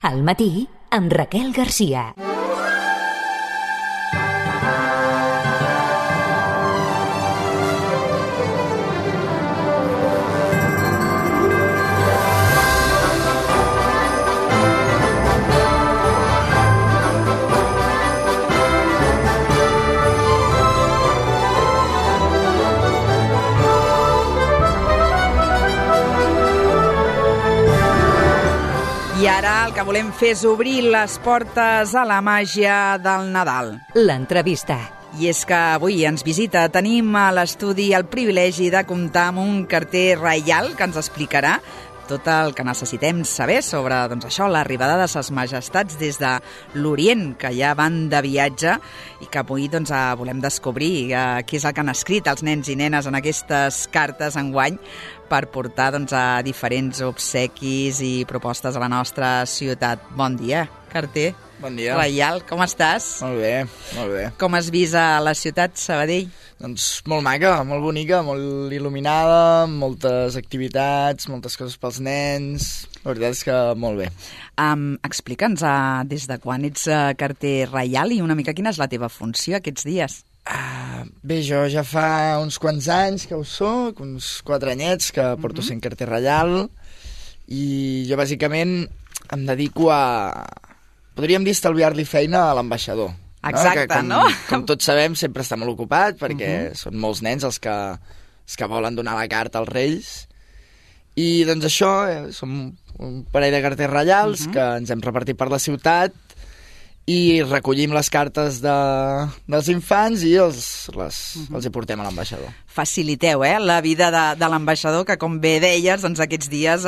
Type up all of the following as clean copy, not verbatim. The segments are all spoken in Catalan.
Al matí, amb Raquel Garcia. I ara el que volem fer és obrir les portes a la màgia del Nadal. L'entrevista. I és que avui ens visita, tenim a l'estudi el privilegi de comptar amb un carter reial que ens explicarà tot el que necessitem saber sobre això, l'arribada de ses majestats des de l'Orient, que ja van de viatge i que avui volem descobrir què és el que han escrit els nens i nenes en aquestes cartes enguany per portar a diferents obsequis i propostes a la nostra ciutat. Bon dia, carter. Bon dia. Reial, com estàs? Molt bé, molt bé. Com has vist a la ciutat, Sabadell? Doncs molt maca, molt bonica, molt il·luminada, moltes activitats, moltes coses pels nens. La veritat és que molt bé. Explica'ns des de quan ets carter reial i una mica quina és la teva funció aquests dies. Bé, jo ja fa uns quants anys que ho soc, uns 4 anyets que porto sent carter reial, i jo bàsicament em dedico a, podríem dir, estalviar-li feina a l'ambaixador. Exacte, no? Com tots sabem, sempre està molt ocupat, perquè són molts nens els que volen donar la carta als Reis. I doncs això, som un parell de carters reials que ens hem repartit per la ciutat i recollim les cartes dels infants i els hi portem a l'ambaixador. Faciliteu, la vida de l'ambaixador, que com bé deies, aquests dies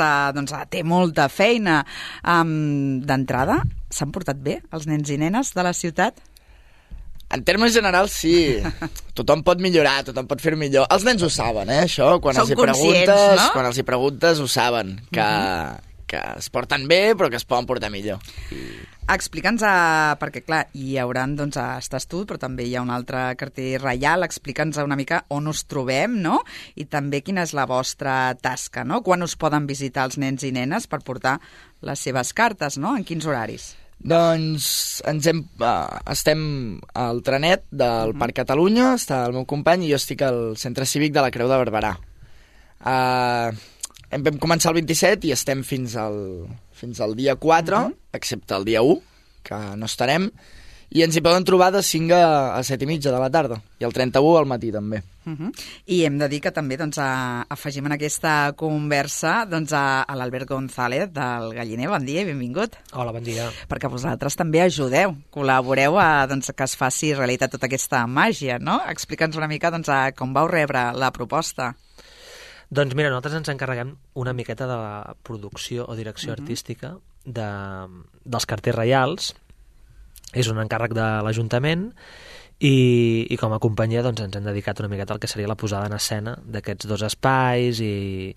té molta feina. D'entrada, s'han portat bé els nens i nenes de la ciutat? En termes generals, sí. Tothom pot millorar, tothom pot fer millor. Els nens ho saben, això. Quan Són conscients, no? Quan els hi preguntes, ho saben, que es porten bé, però que es poden portar millor. Explica'ns, perquè clar, hi hauran, estàs tu, però també hi ha un altre carter reial. Explica'ns una mica on us trobem, no? I també quina és la vostra tasca, no? Quan us poden visitar els nens i nenes per portar les seves cartes, no? En quins horaris? Doncs estem al trenet del Parc Catalunya, està el meu company, i jo estic al Centre Cívic de la Creu de Barberà. Vam començar el 27 i estem fins al dia 4, excepte el dia 1, que no estarem, i ens hi poden trobar de 5 a 7 i mitja de la tarda, i el 31 al matí també. I hem de dir que també afegim en aquesta conversa a l'Albert González del Galliner. Bon dia i benvingut. Hola, bon dia. Perquè vosaltres també ajudeu, col·laboreu que es faci realitat tota aquesta màgia, no? Explica'ns una mica com vau rebre la proposta. Doncs mira, nosaltres ens encarreguem una miqueta de la producció o direcció artística dels carters reials. És un encàrrec de l'Ajuntament i com a companyia ens hem dedicat una miqueta al que seria la posada en escena d'aquests dos espais i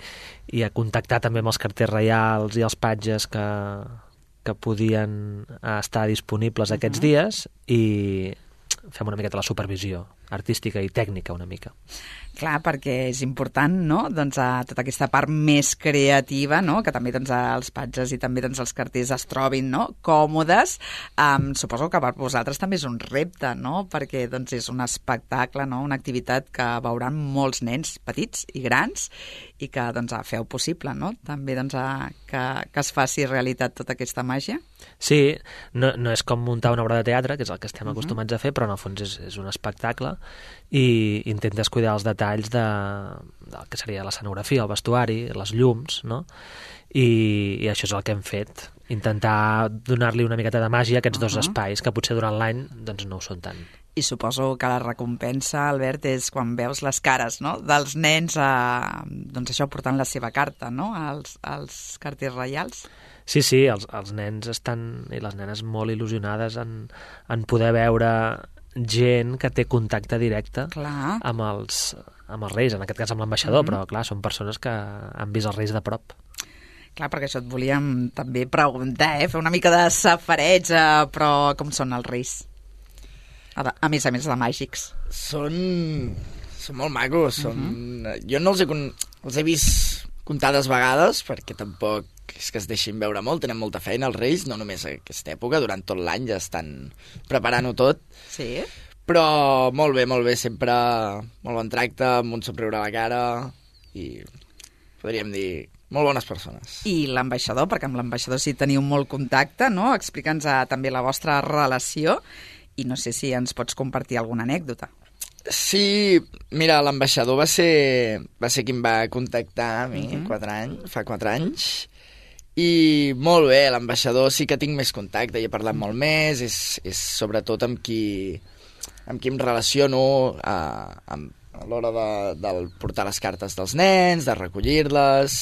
a contactar també amb els carters reials i els patges que podien estar disponibles aquests dies, i fem una miqueta la supervisió artística i tècnica una mica. Clar, perquè és important, no?, tota aquesta part més creativa, no?, que també els patges i també els carters es trobin, no?, còmodes. Suposo que per vosaltres també és un repte, no?, perquè és un espectacle, no?, una activitat que veuran molts nens petits i grans i que feu possible, no?, també que es faci realitat tota aquesta màgia. Sí, no és com muntar una obra de teatre, que és el que estem acostumats a fer, però en el fons és un espectacle i intentes cuidar els detalls del que seria l'escenografia, el vestuari, les llums, no? I això és el que hem fet, intentar donar-li una miqueta de màgia a aquests dos espais, que potser durant l'any no ho són tant. I suposo que la recompensa, Albert, és quan veus les cares, no?, dels nens això portant la seva carta, no?, als carters reials. Sí, els nens i les nenes molt il·lusionades en poder veure gent que té contacte directe amb els reis, en aquest cas amb l'ambaixador, però clar, són persones que han vist els reis de prop. Clar, perquè això et volíem també preguntar, fer una mica de safareig, però com són els reis? A més de màgics. Són molt macos. Jo no els he vist comptades vegades, perquè tampoc és que es deixin veure molt, tenen molta feina els Reis, no només a aquesta època, durant tot l'any ja estan preparant-ho tot. Sí. Però molt bé, sempre molt bon tracte, amb un somriure a la cara i podríem dir molt bones persones. I l'ambaixador, perquè amb l'ambaixador sí teniu molt contacte, no? Explica'ns també la vostra relació i no sé si ens pots compartir alguna anècdota. Sí, mira, l'ambaixador va ser qui em va contactar a mi fa 4 anys, i molt bé, l'ambaixador sí que tinc més contacte, hi he parlat molt més, és sobretot amb qui em relaciono a l'hora de portar les cartes dels nens, de recollir-les,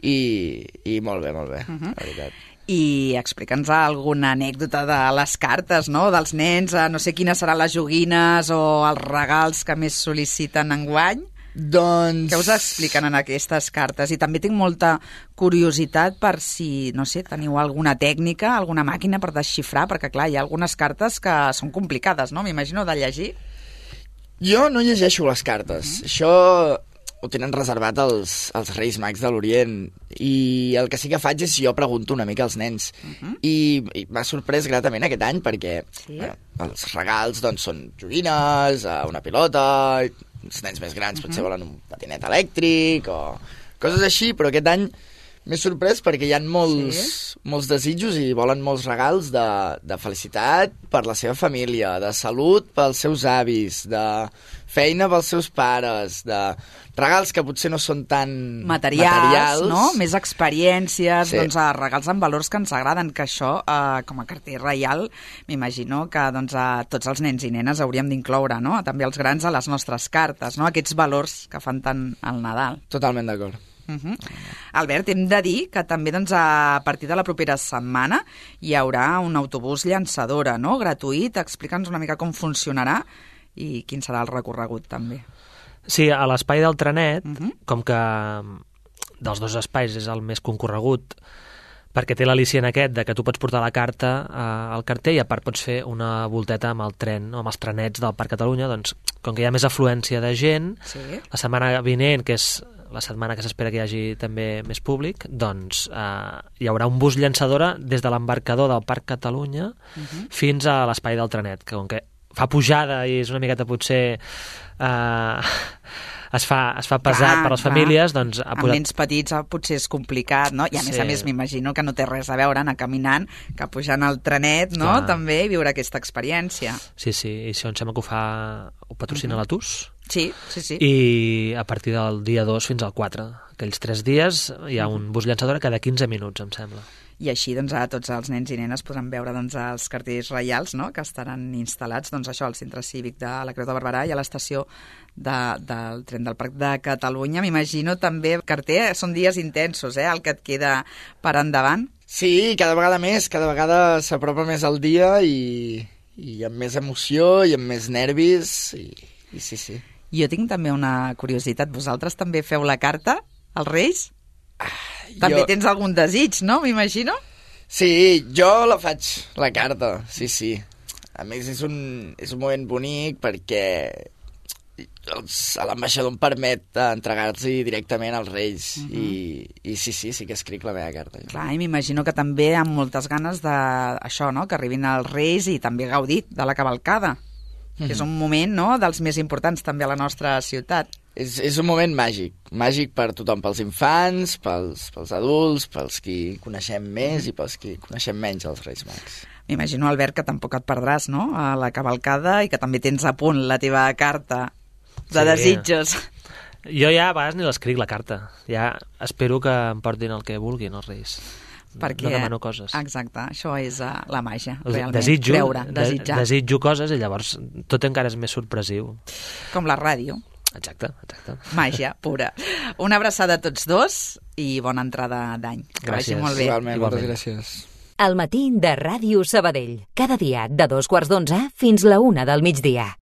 i molt bé, la veritat. I explica'ns alguna anècdota de les cartes, no?, dels nens, no sé quines seran les joguines o els regals que més sol·liciten enguany. Doncs... Què us expliquen en aquestes cartes? I també tinc molta curiositat per si, no sé, teniu alguna tècnica, alguna màquina per desxifrar, perquè clar, hi ha algunes cartes que són complicades, no?, m'imagino, de llegir. Jo no llegeixo les cartes. Això ho tenen reservat els Reis Mags de l'Orient, i el que sí que faig és jo pregunto una mica als nens, i m'ha sorprès gratament aquest any perquè els regals doncs, són joguines, una pilota, els nens més grans potser volen un patinet elèctric o coses així, però aquest any m'he sorprès perquè hi ha molts desitjos i volen molts regals de felicitat per la seva família, de salut pels seus avis, de feina pels seus pares, de regals que potser no són tan materials, no? Més experiències, doncs regals amb valors que ens agraden, que això, com a carter reial, m'imagino que doncs, tots els nens i nenes hauríem d'incloure, no?, també els grans a les nostres cartes, no?, aquests valors que fan tant al Nadal. Totalment d'acord. Albert, hem de dir que també doncs, a partir de la propera setmana hi haurà un autobús llançadora, no?, gratuït. Explica'ns una mica com funcionarà i quin serà el recorregut també. Sí, a l'espai del trenet, com que dels 2 espais és el més concorregut, perquè té l'al·licient aquest de que tu pots portar la carta al carter i a part pots fer una volteta amb el tren o amb els trenets del Parc Catalunya, doncs com que hi ha més afluència de gent, la setmana vinent, que és la setmana que s'espera que hi hagi també més públic, doncs hi haurà un bus llançadora des de l'embarcador del Parc Catalunya fins a l'espai del trenet, que com que fa pujada i és una miqueta potser es fa pesat per les famílies, doncs... Amb nens petits potser és complicat, no? I a més m'imagino que no té res a veure anar caminant, que pujant al trenet, no?, també, i viure aquesta experiència. Sí, i això em sembla que ho patrocina la TUS. Sí. I a partir del dia 2 fins al 4, aquells 3 dies, hi ha un bus llançadora cada 15 minuts, em sembla. I així doncs, tots els nens i nenes podran veure doncs, els cartells reials, no?, que estaran instal·lats doncs, això al Centre Cívic de la Creu de Barberà i a l'estació del tren del Parc de Catalunya. M'imagino també, carter, són dies intensos, el que et queda per endavant. Sí, cada vegada s'apropa més el dia i amb més emoció i amb més nervis i sí. Jo tinc també una curiositat. Vosaltres també feu la carta als Reis? També tens algun desig, no? M'imagino? Sí, jo la faig, la carta, sí. A més, és un moment bonic perquè l'ambaixador em permet entregar-los directament als Reis i sí que escric la meva carta. Clar, i m'imagino que també amb moltes ganes d'això, no?, que arribin els Reis i també gaudir de la cavalcada. Que és un moment, no?, dels més importants també a la nostra ciutat. És un moment màgic per tothom, pels infants, pels adults, pels qui coneixem més i pels qui coneixem menys els Reis Mags. M'imagino, Albert, que tampoc et perdràs, no?, a la cavalcada i que també tens a punt la teva carta de desitjos. Jo ja a vegades ni l'escric, la carta. Ja espero que em portin el que vulguin els Reis. Perquè, no demano coses. Exacte, això és la màgia, realment. Desitjo coses i llavors tot encara és més sorpresiu. Com la ràdio. Exacte. Màgia pura. Una abraçada a tots dos i bona entrada d'any. Que vagi molt bé. Igualment, moltes gràcies. El matí de Ràdio Sabadell. Cada dia de 2:15 fins la 1 del migdia.